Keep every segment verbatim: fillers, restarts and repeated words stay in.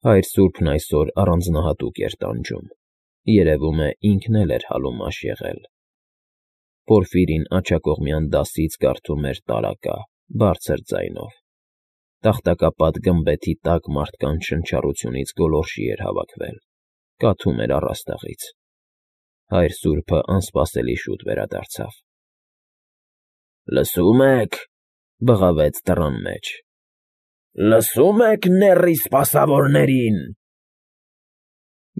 Հայր սուրբն այսօր առանձնահատուկ էր տանջում, երևում է ինքն էլ էր հալումաշ եղել։ Պորֆիրին աջակողմյան դասից կարդում էր տարակա, բարձր ձայնով։ Տախտակապատ գմբեթի տակ մարդկանց շնչառությունից գոլորշի էր հավաքվել, կաթում էր առաստաղից։ Հայր սուրբը անսպասելի շուտ վերադարձավ։ ֊ Լսո՞ւմ եք,֊ բղավեց դռան մեջ,֊ Լսո՞ւմ եք նեռի սպասավորներին…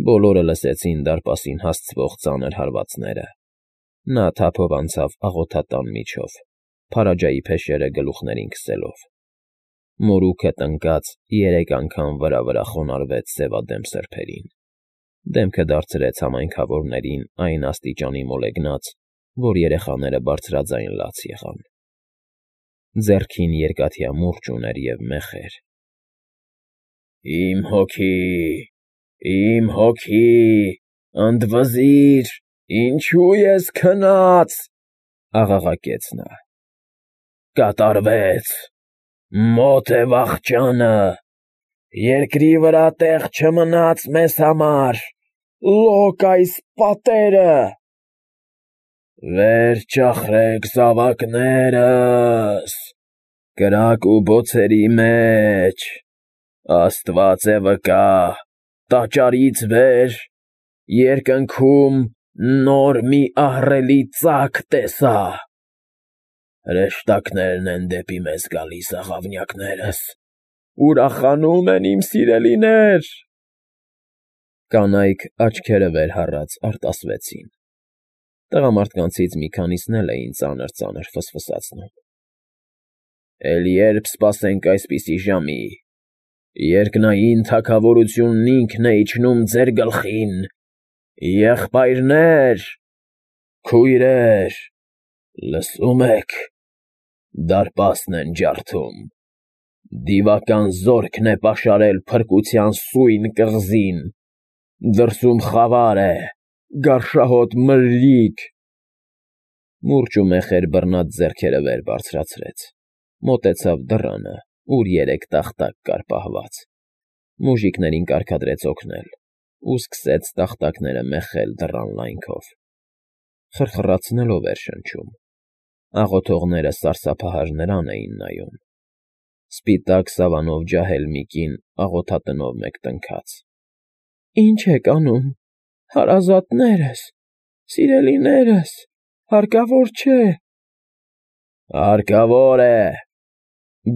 Բոլորը լսեցին դարպասին հասցվող ծանր հարվածները։ Նա թափով անցավ աղոթատան միջով, Փարաջայի փեշերը գլուխներին քսելով։ Մորուքը տնկած երեք անգամ վրա֊վրա խոնարհվեց սևադեմ սրբերին, դեմքը դարձրեց համայնքավորներին այն աստիճանի մոլեգնած, որ երեխաները բարձրաձայն լաց եղան։ Ձեռքին երկաթյա մուրճ ուներ և մեխեր։ «Իմ հոգի, իմ հոգի, ընդվզիր, ինչո՞ւ ես քնած,֊ աղաղակեց նա։֊ Կատարվեց, մոտ է վախճանը, երկրի վրա տեղ չմնաց մեզ համար, լոկ այս պատերը… Վեր ճախրեք զավակներս, կրակ ու բոցերի մեջ, Աստված է վկա, տաճարից վեր, երկնքում նոր մի ահռելի ծակ տեսա… Հրեշտակներն են դեպի մեզ գալիս, աղավնյակներս, ուրախանում են, իմ սիրելիներ… Կանայք աչքերը վեր հառած արտասվեցին։ Տղամարդկանցից մի քանիսն էլ էին ծանր֊ծանր ֆսֆսացնում։ ֊ Էլ ե՞րբ սպասենք այսպիսի ժամի, երկնային թագավորությունն ինքն է իջնում ձեր գլխին, եղբայրնե՛ր, քույրեր, լսո՞ւմ եք, դարպասն են ջարդում, դիվական զորքն է պաշարել փրկության սույն կղզին, դրսում խավար է, գարշահոտ մրրիկ… Մուրճ ու մեխեր բռնած ձեռքերը վեր բարձրացրեց, մոտեցավ դռանը, ուր երեք տախտակ կար պահված, մուժիկներին կարգադրեց օգնել ու սկսեց տախտակները մեխել դռան լայնքով։ Խրխռացնելով էր շնչում, աղոթողները սարսափահար նրան էին նայում։ Սպիտակ սավանով ջահել մի կին աղոթատնով մեկ տնքաց. ֊ Ի՞նչ եք անում, հարազատներս, սիրելիներս, հարկավոր չէ… ֊ Հարկավոր է,֊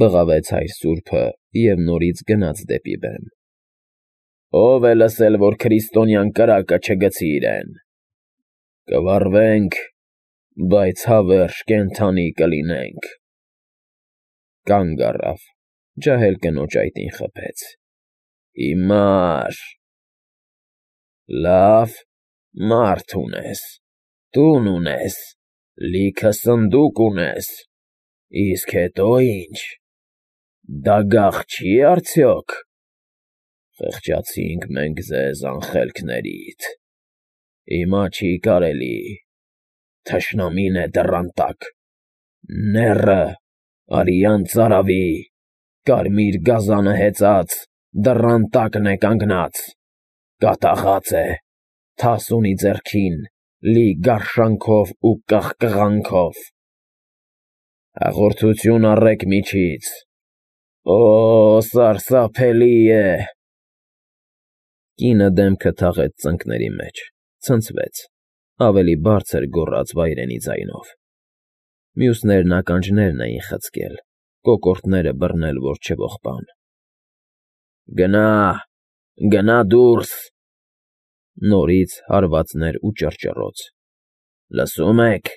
բղավեց հայր սուրբը և նորից գնաց դեպի բեմ։ ֊ Ո՞վ է լսել, որ քրիստոնյան կրակը չգցի իրեն… Կվառվենք, բայց հավերժ կենդանի կլինենք… Կանգ առավ, ջահել կնոջ այտին խփեց։ ֊ Հիմա՞ր… Լավ, մարդ ունես, տուն ունես, լիքը սնդուկ ունես, իսկ հետո ի՞նչ… Դագաղ չի՞ արդյոք… Խղճացինք մենք ձեզ անխելքներիդ… Հիմա չի կարելի… Թշնամին է դռան տակ… Նեռը, արյան ծարավի, կարմիր գազանը հեծած, դռան տակն է կանգնած, կատաղած է, թաս ունի ձեռքին, լի գարշանքով ու կղկղանքով… Հաղորդություն առեք միջից… Օ՜, սարսափելի է… Կինը դեմքը թաղեց ծնկների մեջ, ցնցվեց, ավելի բարձր գոռաց վայրենի ձայնով։ Մյուսներն ականջներն էին խցկել, կոկորդները բռնել, որ չողբան։ ֊ Գնա, գնա դուրս… Նորից հարվածներ ու ճռճռոց։ ֊ Լսո՞ւմ եք…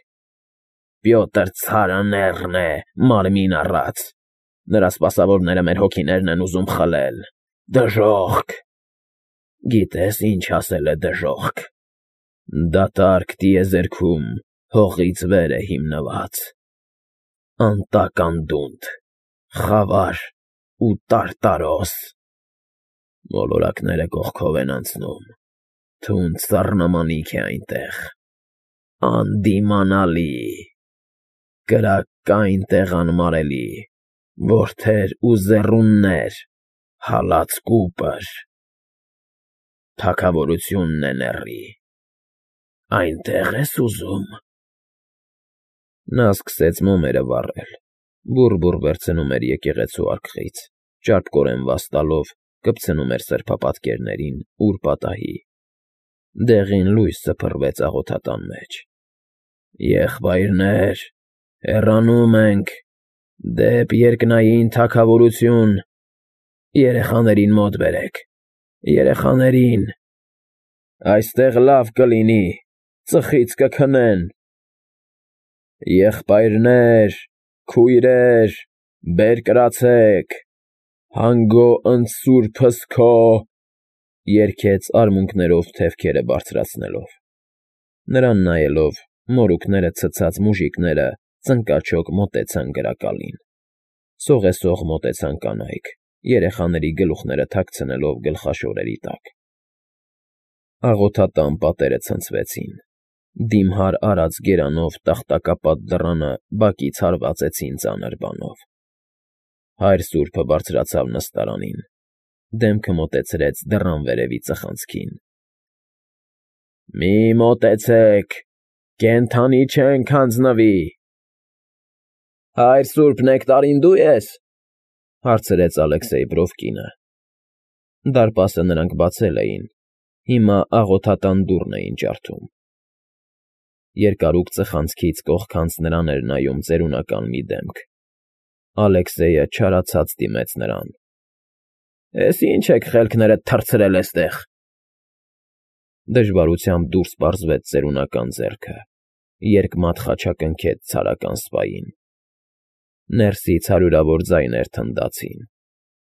Պյոտր ցարը նեռն է, մարմին առած… Նրա սպասավորները մեր հոգիներն են ուզում խլել… Դժոխք… Գիտե՞ս ինչ ասել է դժոխք… Դատարկ տիեզերքում հողից վեր է հիմնված… Անտակ անդունդ, խավար ու տարտարոս… Մոլորակները կողքով են անցնում, թունդ սառնամանիք է այնտեղ… Անդիմանալի… Կրակ կա այնտեղ անմարելի… Որդեր ու ձեռուններ… Հալած կուպր… թագավորությունն է նեռի։ Այնտեղ ես ուզում։ Նա սկսեց մոմերը վառել, բուռ֊բուռ վերցնում էր եկեղեցու արկղից, ճարպկորեն վաստալով կպցնում էր սրբապատկերներին ուր պատահի։ Դեղին լույս սփռվեց աղոթատան մեջ։ Եղբայրներ, հեռանում ենք դեպ երկնային թագավորություն, երեխաներին մոտ բերեք, երեխաներին, այստեղ լավ կլինի, ծխից կքնեն։ Եղբայրներ, քույրեր, բերկրացեք, հանգո ընդ Սուրբս քո, երգեց արմունկներով թևքերը բարձրացնելով։ Նրան նայելով, մորուքները ցցած մուժիկները ծնկաչոք մոտեցան գրակալին։ Սողեսող մոտեցան կանայք, երեխաների գլուխները թաքցնելով գլխաշորերի տակ։ Աղոթատան պատերը ցնցվեցին, դիմհար արած գերանով տախտակապատ դռանը բակից հարվածեցին ծանր բանով։ Հայր սուրբը բարձրացավ նստարանին, դեմքը մոտեցրեց դռան վերևի ծխանցքին։ Մի մոտեցեք, կենդանի չենք հանձնվի։ Հայր սուրբ Նեկտարին դու ես, հարցրեց Ալեքսեյ Բրովկինը։ Դարպասը նրանք բացել էին, հիմա աղոթատան դուռն էին ջարդում։ Երկարուկ ծխանցքից կողքանց նրան էր նայում ծերունական մի դեմք։ Ալեքսեյը չարացած դիմեց նրան։ Էս ի՞նչ եք խելքներդ թռցրել էստեղ։ Դժվարությամբ դուրս պարզվեց ծերունական ձեռքը, երկմատ խաչակնքեց ցարական սպային։ Ներսից հարյուրավոր ձայներ թնդացին.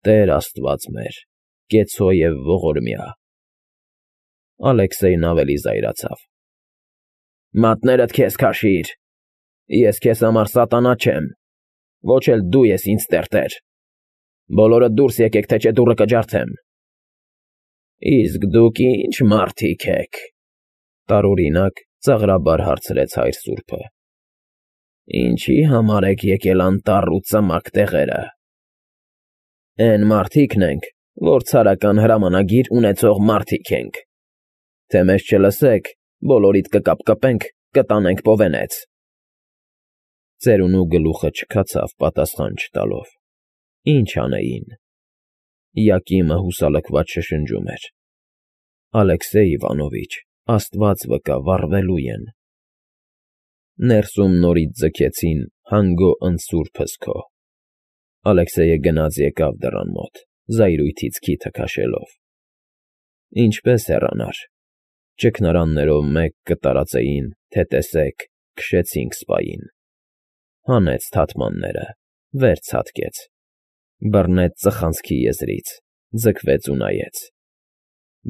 Տեր Աստված մեր, կեցո և ողորմյա։ Ալեքսեյն ավելի զայրացավ։ Մատներդ քեզ քաշիր, ես քեզ համար սատանա չեմ, ոչ էլ դու ես ինձ տերտեր։ Բոլորդ դուրս եկեք, թե չէ դուռը կջարդեմ։ Իսկ դուք ի՞նչ մարդիկ եք, տարօրինակ ծաղրաբար հարցրեց հայր սուրբը։ Ինչի համար եք եկել անտառ ու ծմակ տեղերը։ Էն մարդիկն ենք, որ ցարական հրամանագիր ունեցող մարդիկ ենք։ Թե մեզ չլսեք, բոլորիդ կկապկպենք, կտանենք պովենեց։ Ծերունու գլուխը չքացավ պատասխան չտալով։ Ինչ անեին։ Յակիմը հուսալքված շշնջում էր. Ալեքսեյ Իվանովիչ, Աստված վկա, վառվելու են։ Ներսում նորից ձգեցին հանգո ընդ Սուրբս քո։ Ալեքսեյը գնաց եկավ դռան մոտ, զայրույթից քիթը քաշելով։ Ինչպես հեռանար։ Ճգնարաններով մեկ կտարածեին, թե տեսեք, քշեցինք սպային։ Հանեց թաթմանները, վեր ցատկեց, բռնեց ծխանցքի եզրից, ձգվեց ու նայեց։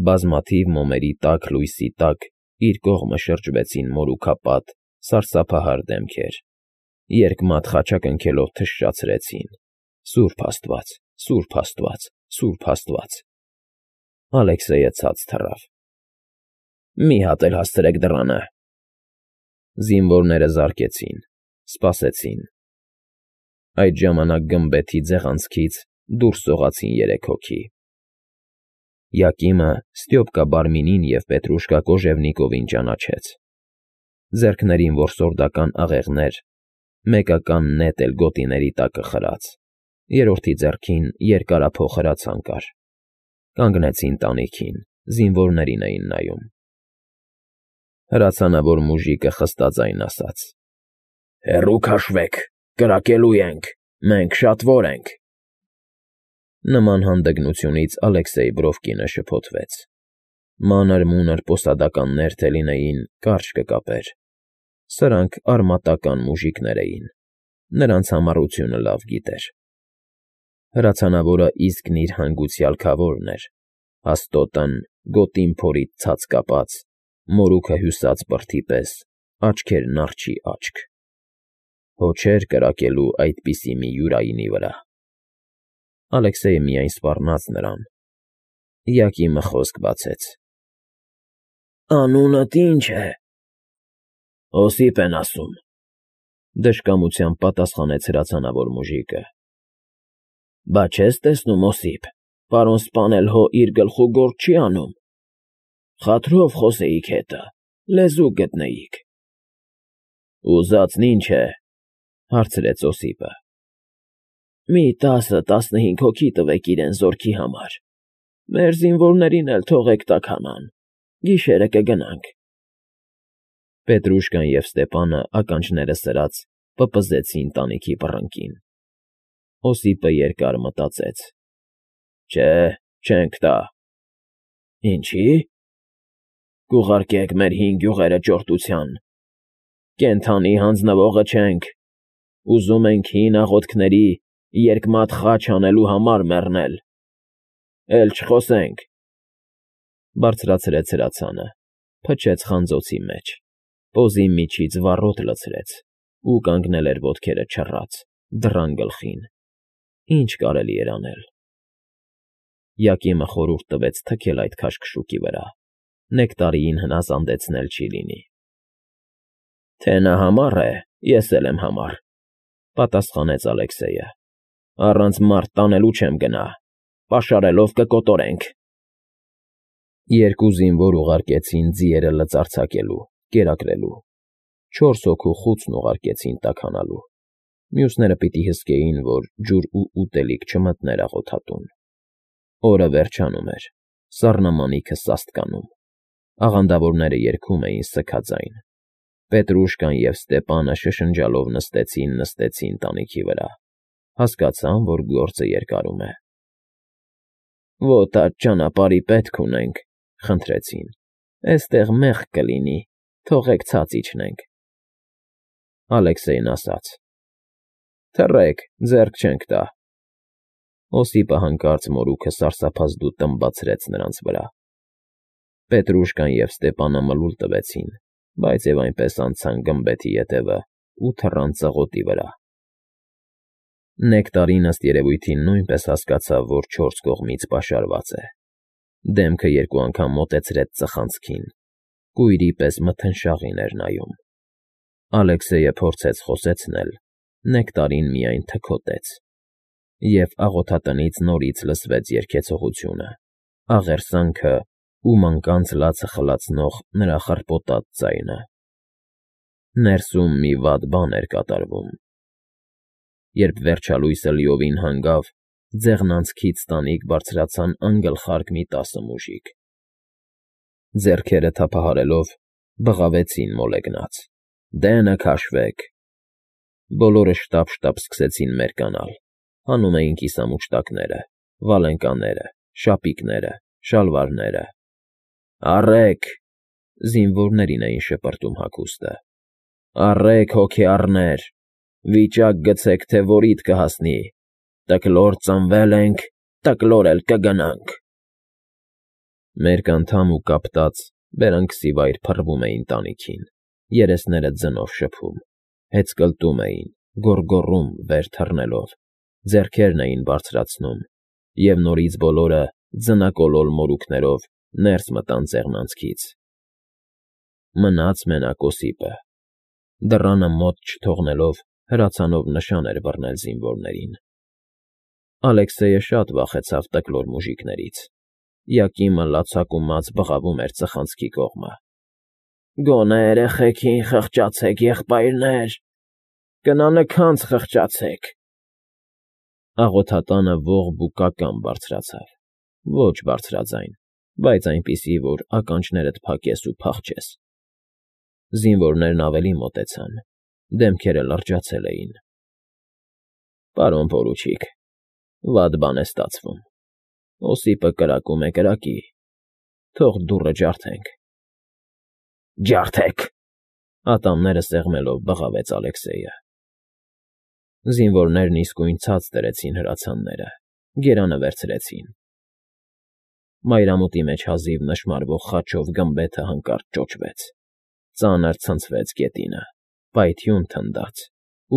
Բազմաթիվ մոմերի տաք լույսի տակ իր կողմը շրջվեցին մորուքապատ, սարսափահար դեմքեր, երկմատ խաչակնքելով թշշացրեցին. Սուրբ Աստված, Սուրբ Աստված, Սուրբ Աստված։ Ալեքսեյը ցած թռավ։ Մի հատ էլ հասցրեք դռանը։ Զինվորները զարկեցին, սպասեցին։ Այդ ժամանակ գմբեթի ձեղանցքից դուրս սողացին երեք հոգի։ Յակիմը Ստյոպկա Բարմինին և Պետրուշկա Կոժևնիկովին ճանաչեց։ Ձեռքներին որսորդական աղեղներ, մեկական նետ էլ գոտիների տակը խրած, երրորդի ձեռքին երկարափոխ հրացան կար։ Կանգնեցին տանիքին, զինվորներին էին նայում։ Հրացանավոր մուժիկը խստաձայն ասաց. Հեռու քաշվեք, կրակելու ենք, մենք շատվոր ենք։ Նման հանդգնությունից Ալեքսեյ Բրովկինը շփոթվեց։ Մանր-մունր պոսադականներ թե լինեին, կարճ կկապեր։ Սրանք արմատական մուժիկներ էին, նրանց համառությունը լավ գիտեր։ Հրացանավորը իսկն իր հանգուցյալ քավորն էր, հաստոտն գոտին փորից ցած կապած, մորուքը հյուսած բրդի պես, աչքերն արջի աչք։ Հո չէր կրակելու այդպիսի մի յուրայինի վրա։ Ալեքսեյը միայն սպառնաց նրան։ Յակիմը խոսք բացեց. Անունդ ի՞նչ է։ Օսիպ են ասում, դժկամությամբ պատասխանեց հրացանավոր մուժիկը։ Բա չես տեսնում, Օսիպ, պարոն սպանել հո իր գլխու գործ չի անում։ Խաթրով խոսեիք հետը, լեզու գտնեիք։ Ուզածն ինչ է, հարցրեց Օսիպը։ Մի տասը֊տասնհինգ հոգի տվեք իրեն զորքի համար, մեր զինվորներին էլ թողեք տաքանան, գիշերը կգնանք։ Պետրուշկան և Ստեպանը ականջները սրած պպզեցին տանիքի բռնկին։ Օսիպը երկար մտածեց. Չէ, չենք տա։ Ինչի՞։ Կուղարկեք մեր հին գյուղերը ճորտության։ Կենդանի հանձնվողը չենք, ուզում ենք հին աղոթքների երկմատ խաչ անելու համար մեռնել։ Էլ չխոսենք։ Բարձրացրեց հրացանը, փչեց խանձոցի մեջ, պոզի միջից վառոդ լցրեց ու կանգնել էր ոտքերը չռած, դռան գլխին։ Ինչ կարելի էր անել։ Յակիմը խորհուրդ տվեց թքել այդ քաշքշուկի վրա, Նեկտարիին հնազանդեցնել չի լինի։ Թե նա համառ է, ես էլ եմ համառ, պատասխանեց Ալեքսեյը։ Առանց մարդ տանելու չեմ գնա, պաշարելով կկոտորենք։ Երկու զինվոր ուղարկեցին ձիերը լծարձակելու, կերակրելու, չորս հոգու խուցն ուղարկեցին տաքանալու, մյուսները պիտի հսկեին, որ ջուր ու ուտելիք չմտներ աղոթատուն։ Օրը վերջանում էր, սառնամանիքը սաստկանում, աղանդավորները երգում էին սգաձայն։ Պետրուշկան և Ստեպանը շշնջալով նստեցին, նստեցին տանիքի վրա, հասկացան, որ գործը երկարում է։ Ոտ աջ ճանապարհի պետք ունենք, խնդրեցին, էստեղ մեղք կլինի, թողեք ցած իջնենք։ Ալեքսեյն ասաց. Թռեք, ձեռք չենք տա։ Օսիպը հանկարծ մորուքը սարսափազդու տմբացրեց նրանց վրա։ Պետրուշկան և Ստեպանը մլուլ տվեցին, բայց և այնպես անցան գմբեթի ետևը ու թռան ծղոտի վրա։ Նեկտարին, ըստ երևույթին, նույնպես հասկացավ, որ չորս կողմից պաշարված է։ Դեմքը երկու անգամ մոտեցրեց ծխանցքին, կույրի պես մթնշաղին էր նայում։ Ալեքսեյը փորձեց խոսեցնել, Նեկտարին միայն թքոտեց, և աղոթատնից նորից լսվեց երգեցողությունը, աղերսանքը ու մանկանց լացը խլացնող նրա խռպոտած ձայնը։ Ներսում մի վատ բան էր կատարվում։ Երբ վերջալույսը լիովին հանգավ, ձեղնանցքից տանիք բարձրացան անգլխարկ մի տասը մուժիկ։ Ձեռքերը թափահարելով, բղավեցին մոլեգնած. Դենը քաշվեք։ Բոլորը շտապ֊շտապ սկսեցին մերկանալ, հանում էին կիսամուշտակները, վալենկաները, շապիկները, շալվարները։ Առեք, զինվորներին էին շպրտում հագուստը։ Առեք, հոգեառներ, վիճակ գցեք, թե որիդ կհասնի, տկլոր ծնվել ենք, տկլոր էլ կգնանք։ Մերկանդամ ու կապտած, բերանքսիվայր փռվում էին տանիքին, երեսները ձնով շփում, հեծկլտում էին, գոռգոռում վեր թռնելով, ձեռքերն էին բարձրացնում, և նորից բոլորը ձնակոլոլ մորուքներով ներս մտան ձեղնանցքից։ Մնաց մենակ Օսիպը, դռանը մոտ չթողնելով, հրացանով նշան էր բռնել զինվորներին։ Ալեքսեյը շատ վախեցավ տկլոր մուժիկներից։ Յակիմը լացակումած բղավում էր ծխանցքի կողմը։ Գոնե երեխեքին խղճացեք, եղբայրներ, կնանքանց խղճացեք։ Աղոթատանը ողբ ու կական բարձրացավ, ոչ բարձրաձայն, բայց այնպիսի, որ ականջներդ փակես ու փախչես։ Զինվորներն ավելի մոտեցան, դեմքերը լրջացել էին։ Պարոն պորուչիկ, վատ բան է ստացվում։ Օսիպը կրակում է կրակի, թող դուռը ջարդենք։ Ջարդեք, ատամները սեղմելով բղավեց Ալեքսեյը։ Զինվորներն իսկույն ցած դրեցին հրացանները, գերանը վերցրեցին։ Մայրամուտի մեջ հազիվ նշմարվող խաչով գմբեթը հանկարծ ճոճվեց, ծանր ցնցվեց գետինը, պայթյուն թնդաց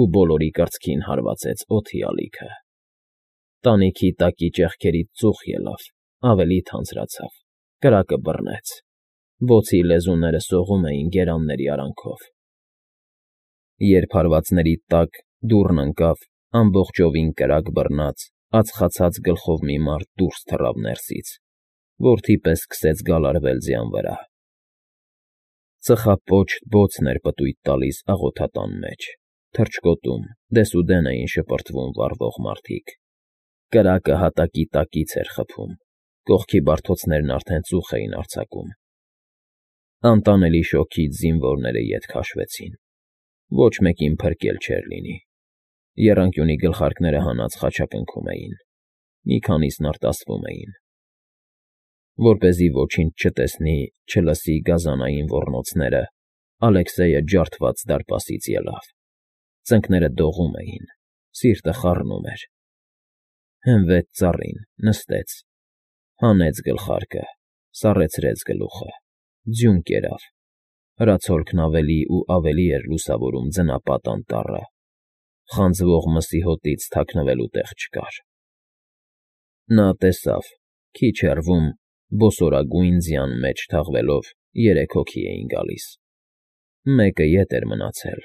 ու բոլորի կրծքին հարվածեց օդի ալիքը։ Տանիքի տակի ճեղքերից ծուխ ելավ, ավելի թանձրացավ, կրակը բռնեց, բոցի լեզուները սողում էին գերանների արանքով։ Երբ հարվածների տակ դուռն ընկավ, ամբողջովին կրակ բռնած, ածխացած գլխով մի մարդ դուրս թռավ ներսից, Որդի պես սկսեց գալարվել ձյան վրա։ Ծխապոչտ բոցն էր պտույտ տալիս աղոթատան մեջ, թռչկոտում, դեսուդեն էին շպրտվում վառվող մարդիկ։ Կրակը հատակի տակից էր խփում, կողքի բարձոցներն արդեն ծուխ էին արձակում։ Անտանելի շոգից զինվորները ետ քաշվեցին։ Ոչ մեկին փրկել չէր լինի։ Եռանկյունի գլխարկները հանած խաչակնքում էին, մի քանիսն արտասվում էին։ Որպեսզի ոչինչ չտեսնի, չլսի գազանային ոռնոցները, Ալեքսեյը ջարդված դարպասից ելավ։ Ծնկները դողում էին, սիրտը խառնում էր։ Հենվեց ծառին, նստեց, հանեց գլխարկը, սառեցրեց գլուխը, ձյուն կերավ։ Հրացոլքն ավելի ու ավելի էր լուսավորում ձնապատ անտառը, խանձվող մսի հոտից թաքնվելու տեղ չկար։ Նա տեսավ, քիչ հեռվում, բոսորագույն ձյան մեջ թաղվելով, երեք հոգի էին գալիս։ Մեկը ետ էր մնացել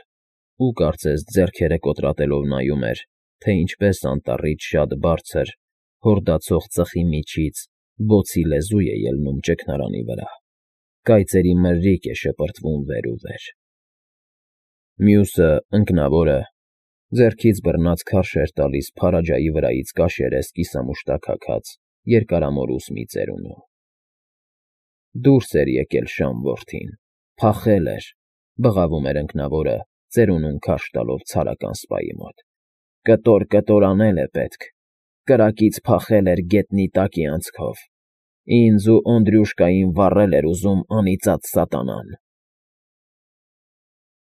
ու կարծես ձեռքերը կոտրատելով նայում էր, թե ինչպես անտառից շատ բարձր, հորդացող ծխի միջից բոցի լեզու է ելնում ճգնարանի վրա, կայծերի մրրիկ է շպրտվում վեր ու վեր։ Մյուսը, ընկնավորը, ձեռքից բռնած քարշ էր տալիս փարաջայի վրայից կաշերես կիսամուշտակ հագած երկարամորուս մի ծերունու։ Դուրս էր եկել Շամ որդին, փախել էր, բղավում էր ընկնավորը, ծերունուն քարշ տալով ցարական սպայի մոտ։ Կտոր, կտոր անել է պետք, կրակից փախել էր գետնի տակի անցքով, ինձ ու Օնդրյուշկային վառել էր ուզում անիծած սատանան։